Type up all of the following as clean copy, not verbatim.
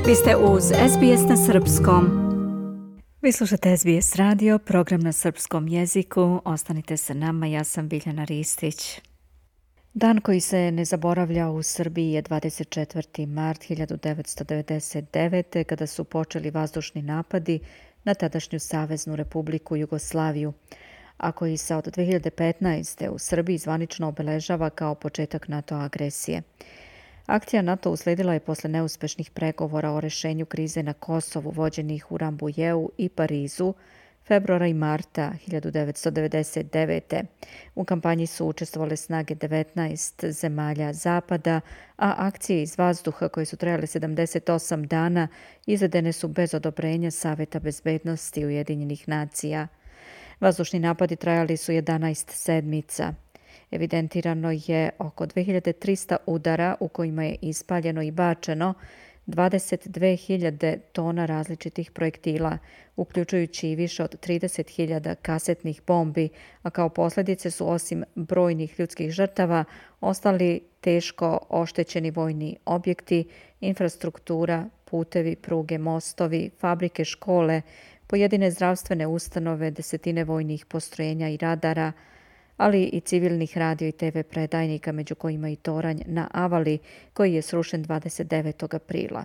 Vi ste uz SBS na srpskom. Vi slušate SBS radio, program na srpskom jeziku. Ostanite sa nama, ja sam Biljana Ristić. Dan koji se ne zaboravlja u Srbiji je 24. mart 1999. kada su počeli vazdušni napadi na tadašnju Saveznu Republiku Jugoslaviju, a koji se od 2015. u Srbiji zvanično obeležava kao početak NATO agresije. Akcija NATO usledila je posle neuspešnih pregovora o rešenju krize na Kosovu vođenih u Rambujeu i Parizu februara i marta 1999. U kampanji su učestvovale snage 19 zemalja Zapada, a akcije iz vazduha koje su trajale 78 dana izvedene su bez odobrenja Saveta bezbednosti Ujedinjenih nacija. Vazdušni napadi trajali su 11 sedmica. Evidentirano je oko 2300 udara u kojima je ispaljeno i bačeno 22.000 tona različitih projektila, uključujući i više od 30.000 kasetnih bombi, a kao posljedice su osim brojnih ljudskih žrtava ostali teško oštećeni vojni objekti, infrastruktura, putevi, pruge, mostovi, fabrike, škole, pojedine zdravstvene ustanove, desetine vojnih postrojenja i radara, ali i civilnih radio i TV predajnika, među kojima i toranj na Avali, koji je srušen 29. aprila.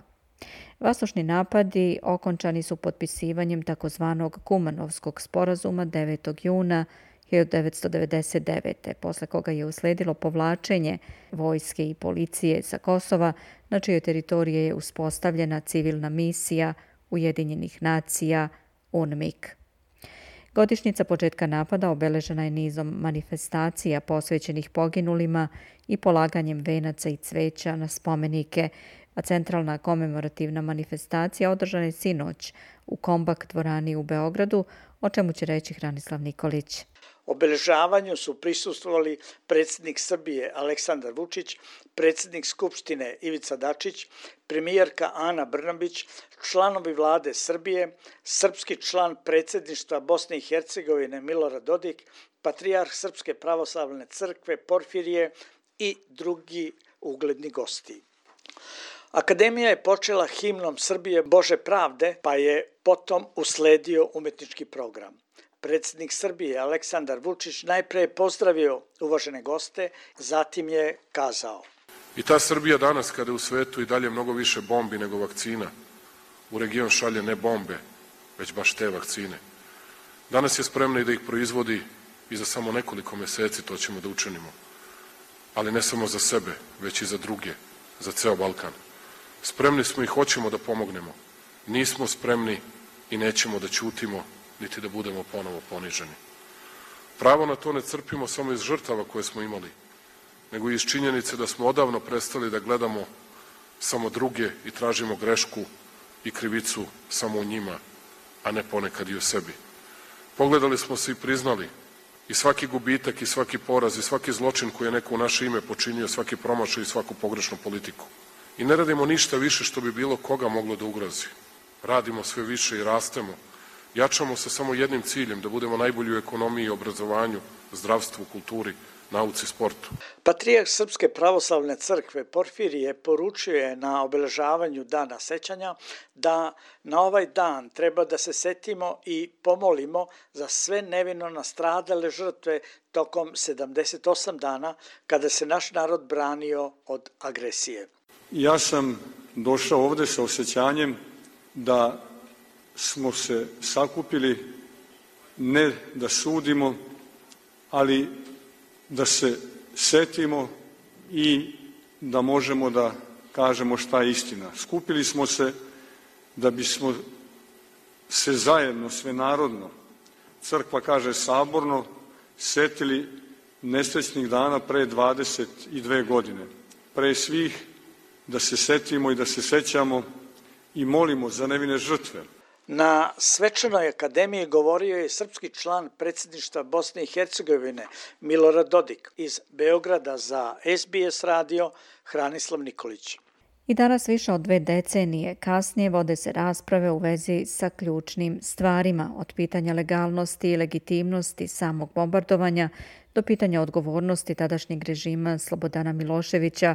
Vazdušni napadi okončani su potpisivanjem takozvanog Kumanovskog sporazuma 9. juna 1999. posle koga je usledilo povlačenje vojske i policije sa Kosova, na čijoj teritoriji je uspostavljena civilna misija Ujedinjenih nacija UNMIK. Godišnjica početka napada obeležena je nizom manifestacija posvećenih poginulima i polaganjem venaca i cveća na spomenike, a centralna komemorativna manifestacija održana je sinoć u Kombak dvorani u Beogradu, o čemu će reći Hranislav Nikolić. Obeležavanju su prisustvovali predsjednik Srbije Aleksandar Vučić, predsjednik Skupštine Ivica Dačić, premijerka Ana Brnabić, članovi vlade Srbije, srpski član predsjedništva Bosne i Hercegovine Milorad Dodik, patrijarh Srpske pravoslavne crkve Porfirije i drugi ugledni gosti. Akademija je počela himnom Srbije Bože pravde, pa je potom usledio umetnički program. Predsjednik Srbije Aleksandar Vučić najprije pozdravio uvažene goste, zatim je kazao: I ta Srbija danas, kada je u svetu i dalje mnogo više bombi nego vakcina, u region šalje ne bombe, već baš te vakcine. Danas je spremna i da ih proizvodi i za samo nekoliko meseci to ćemo da učinimo. Ali ne samo za sebe, već i za druge, za ceo Balkan. Spremni smo i hoćemo da pomognemo. Nismo spremni i nećemo da ćutimo, niti da budemo ponovo poniženi. Pravo na to ne crpimo samo iz žrtava koje smo imali, nego i iz činjenice da smo odavno prestali da gledamo samo druge i tražimo grešku i krivicu samo u njima, a ne ponekad i u sebi. Pogledali smo se i priznali i svaki gubitak i svaki poraz i svaki zločin koji je neko u naše ime počinio, svaki promašaj i svaku pogrešnu politiku. I ne radimo ništa više što bi bilo koga moglo da ugrozi. Radimo sve više i rastemo. Jačamo se samo jednim ciljem, da budemo najbolji u ekonomiji, obrazovanju, zdravstvu, kulturi, nauci, sportu. Patrijarh Srpske pravoslavne crkve Porfirije poručio je na obeležavanju Dana sećanja da na ovaj dan treba da se setimo i pomolimo za sve nevino nastradale žrtve tokom 78 dana kada se naš narod branio od agresije. Ja sam došao ovde sa osjećanjem da smo se sakupili ne da sudimo, ali da se setimo i da možemo da kažemo šta je istina. Skupili smo se da bismo se zajedno, svenarodno, crkva kaže saborno, setili nesrećnih dana pre 22 godine. Pre svih da se setimo i da se sećamo i molimo za nevine žrtve. Na svečanoj akademiji govorio je srpski član predsjedništva Bosne i Hercegovine Milorad Dodik. Iz Beograda za SBS radio Hranislav Nikolić. I danas više od 2 decenije kasnije vode se rasprave u vezi sa ključnim stvarima, od pitanja legalnosti i legitimnosti samog bombardovanja do pitanja odgovornosti tadašnjeg režima Slobodana Miloševića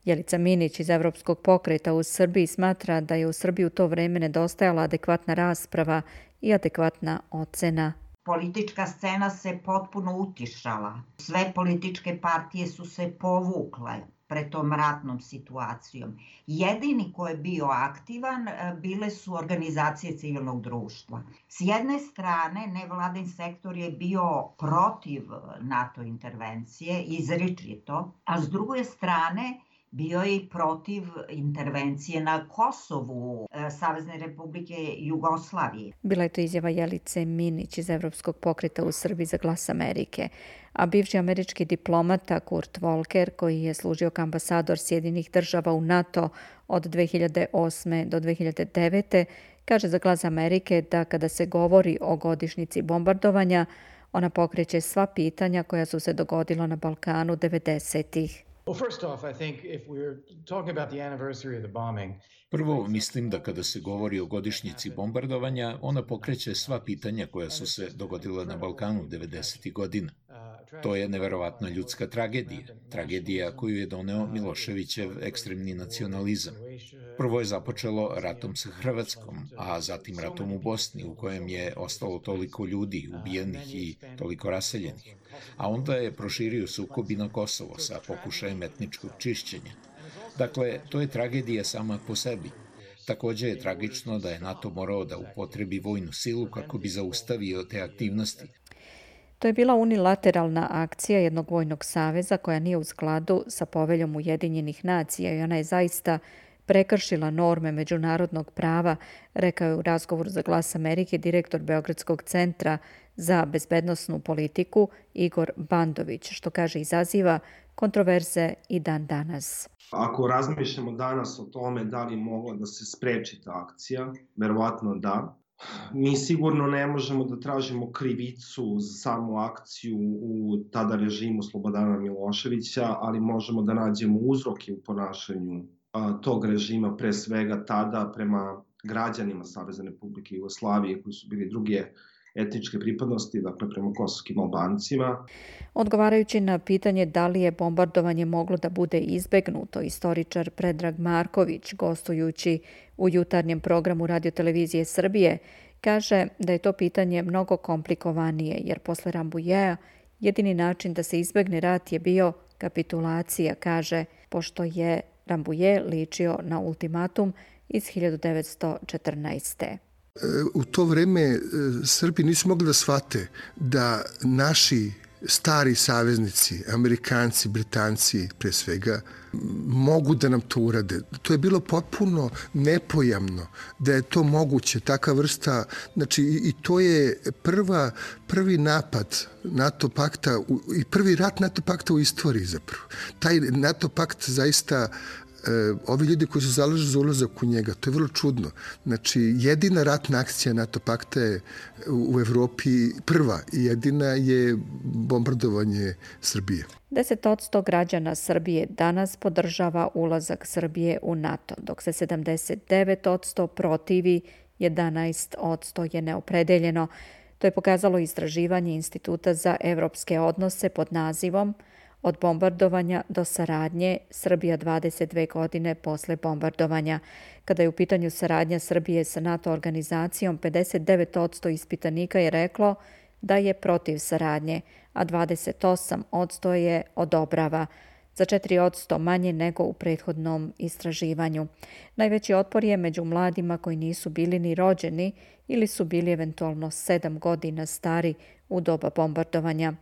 Jelica Minić iz Evropskog pokreta u Srbiji smatra da je u Srbiji u to vreme nedostajala adekvatna rasprava i adekvatna ocena. Politička scena se potpuno utišala. Sve političke partije su se povukle pred tom ratnom situacijom. Jedini ko je bio aktivan bile su organizacije civilnog društva. S jedne strane, nevladin sektor je bio protiv NATO intervencije, izričito, a s druge strane bio je i protiv intervencije na Kosovu Savezne Republike Jugoslavije. Bila je to izjava Jelice Minić iz Evropskog pokreta u Srbiji za Glas Amerike. A bivši američki diplomata Kurt Volker, koji je služio kao ambasador Sjedinjenih država u NATO od 2008. do 2009. kaže za Glas Amerike da kada se govori o godišnjici bombardovanja, ona pokreće sva pitanja koja su se dogodila na Balkanu 90-ih. Prvo, mislim da kada se govori o godišnjici bombardovanja, ona pokreće sva pitanja koja su se dogodila na Balkanu 90. godina. To je neverovatna ljudska tragedija. Tragedija koju je doneo Miloševićev ekstremni nacionalizam. Prvo je započelo ratom sa Hrvatskom, a zatim ratom u Bosni, u kojem je ostalo toliko ljudi ubijenih i toliko raseljenih. A onda je proširio sukob i na Kosovo sa pokušajem etničkog čišćenja. Dakle, to je tragedija sama po sebi. Takođe je tragično da je NATO morao da upotrebi vojnu silu kako bi zaustavio te aktivnosti. To je bila unilateralna akcija jednog vojnog saveza koja nije u skladu sa poveljom Ujedinjenih nacija i ona je zaista prekršila norme međunarodnog prava, rekao je u razgovoru za Glas Amerike direktor Beogradskog centra za bezbednosnu politiku Igor Bandović, što kaže izaziva kontroverze i dan danas. Ako razmišljamo danas o tome da li je mogla da se spreči ta akcija, verovatno da. Mi sigurno ne možemo da tražimo krivicu za samu akciju u tada režimu Slobodana Miloševića, ali možemo da nađemo uzroke u ponašanju tog režima, pre svega tada prema građanima Savezne Republike Jugoslavije koji su bili druge etničke pripadnosti, dakle prema kosovskim Albancima. Odgovarajući na pitanje da li je bombardovanje moglo da bude izbegnuto, istoričar Predrag Marković, gostujući u jutarnjem programu Radiotelevizije Srbije, kaže da je to pitanje mnogo komplikovanije, jer posle Rambujea jedini način da se izbegne rat je bio kapitulacija, kaže, pošto je Rambuje ličio na ultimatum iz 1914. U to vreme Srbi nisu mogli da shvate da naši stari saveznici, Amerikanci, Britanci pre svega, mogu da nam to urade. To je bilo potpuno nepojamno da je to moguće, taka vrsta, znači i to je prvi napad NATO pakta i prvi rat NATO pakta u istoriji zapravo. Taj NATO pakt zaista ovi ljudi koji se zalažu za ulazak u njega, to je vrlo čudno. Znači, jedina ratna akcija NATO pakta je u Evropi prva i jedina je bombardovanje Srbije. 10% građana Srbije danas podržava ulazak Srbije u NATO, dok se 79% protivi, 11% je neopredeljeno. To je pokazalo istraživanje Instituta za evropske odnose pod nazivom Od bombardovanja do saradnje, Srbija 22 godine posle bombardovanja. Kada je u pitanju saradnja Srbije sa NATO organizacijom, 59% ispitanika je reklo da je protiv saradnje, a 28% je odobrava, za 4% manje nego u prethodnom istraživanju. Najveći otpor je među mladima koji nisu bili ni rođeni ili su bili eventualno 7 godina stari u doba bombardovanja.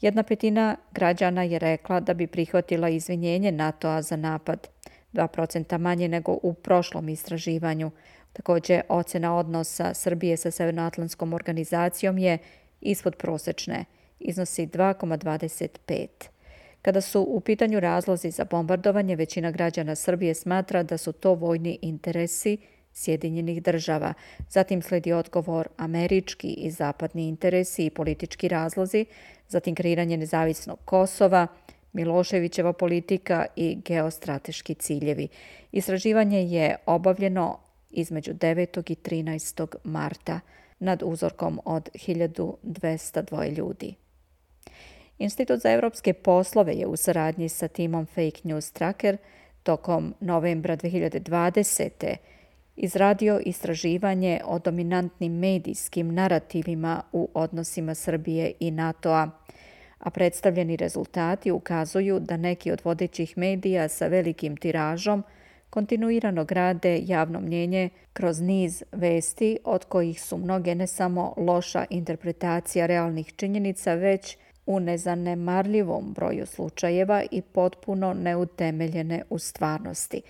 1/5 građana je rekla da bi prihvatila izvinjenje NATO-a za napad, 2% manje nego u prošlom istraživanju. Također, ocena odnosa Srbije sa Severnoatlantskom organizacijom je ispod prosečne, iznosi 2,25. Kada su u pitanju razlozi za bombardovanje, većina građana Srbije smatra da su to vojni interesi Sjedinjenih država. Zatim sledi odgovor američki i zapadni interesi i politički razlozi, zatim kreiranje nezavisnog Kosova, Miloševićeva politika i geostrateški ciljevi. Istraživanje je obavljeno između 9. i 13. marta nad uzorkom od 1202 ljudi. Institut za evropske poslove je u saradnji sa timom Fake News Tracker tokom novembra 2020. izradio istraživanje o dominantnim medijskim narativima u odnosima Srbije i NATO-a, a predstavljeni rezultati ukazuju da neki od vodećih medija sa velikim tiražom kontinuirano grade javno mnjenje kroz niz vesti, od kojih su mnoge ne samo loša interpretacija realnih činjenica, već u nezanemarljivom broju slučajeva i potpuno neutemeljene u stvarnosti.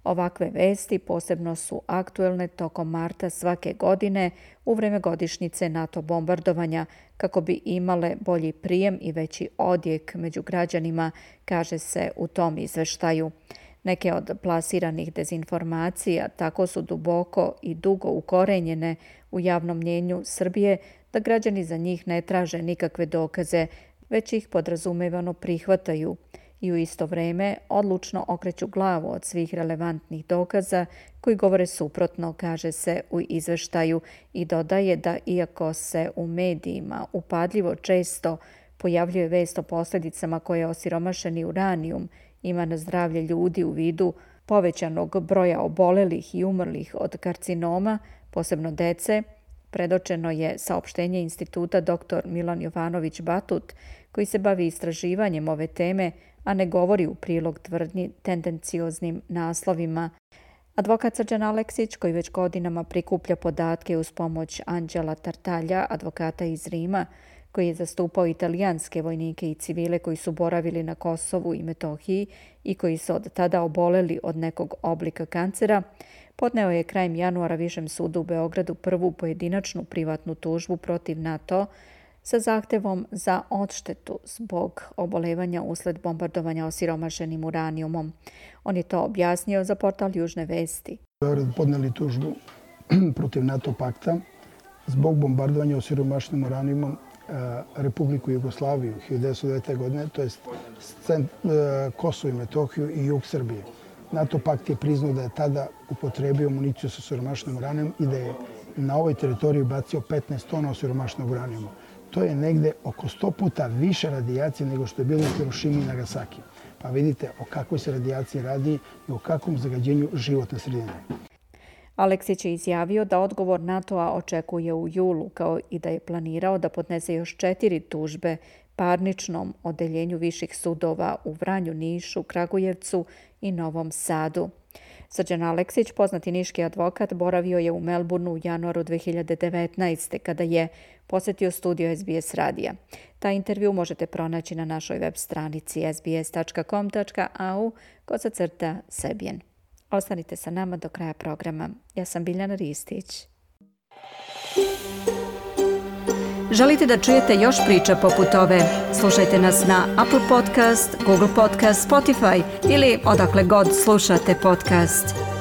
Ovakve vesti posebno su aktuelne tokom marta svake godine u vreme godišnjice NATO bombardovanja kako bi imale bolji prijem i veći odjek među građanima, kaže se u tom izveštaju. Neke od plasiranih dezinformacija tako su duboko i dugo ukorenjene u javnom mnjenju Srbije da građani za njih ne traže nikakve dokaze, već ih podrazumevano prihvataju i u isto vreme odlučno okreću glavu od svih relevantnih dokaza koji govore suprotno, kaže se u izveštaju, i dodaje da iako se u medijima upadljivo često pojavljuje vest o posljedicama koje osiromašeni uranijum ima na zdravlje ljudi u vidu povećanog broja obolelih i umrlih od karcinoma, posebno dece, predočeno je saopštenje instituta dr. Milan Jovanović Batut, koji se bavi istraživanjem ove teme, a ne govori u prilog tvrdnji tendencioznim naslovima. Advokat Srđan Aleksić, koji već godinama prikuplja podatke uz pomoć Anđela Tartalja, advokata iz Rima, koji je zastupao italijanske vojnike i civile koji su boravili na Kosovu i Metohiji i koji su od tada oboleli od nekog oblika kancera, podneo je krajem januara Višem sudu u Beogradu prvu pojedinačnu privatnu tužbu protiv NATO sa zahtevom za odštetu zbog obolevanja usled bombardovanja osiromašenim uranijumom. On je to objasnio za portal Južne vesti. U Beogradu podneli tužbu protiv NATO pakta zbog bombardovanja osiromašenim uranijumom Republiku Jugoslaviju 1909. godine, to je Kosovo i Metohiju i jug Srbije. NATO pakt je priznao da je tada upotrebio municiju sa osiromašenim uranijumom i da je na ovoj teritoriji bacio 15 tona osiromašenog uranijuma. To je negde oko 100 puta više radijacije nego što je bilo u Hirošimi i Nagasaki. Pa vidite o kakvoj se radijaciji radi i o kakvom zagađenju životne sredine. Aleksić je izjavio da odgovor NATO-a očekuje u julu, kao i da je planirao da podnese još 4 tužbe parničnom odeljenju viših sudova u Vranju, Nišu, Kragujevcu i Novom Sadu. Srđan Aleksić, poznati niški advokat, boravio je u Melbourneu u januaru 2019. kada je posetio studio SBS radija. Taj intervju možete pronaći na našoj web stranici sbs.com.au/Sebjen. Ostanite sa nama do kraja programa. Ja sam Biljana Ristić. Želite da čujete još priča poput ove? Slušajte nas na Apple Podcast, Google Podcast, Spotify ili odakle god slušate podcast.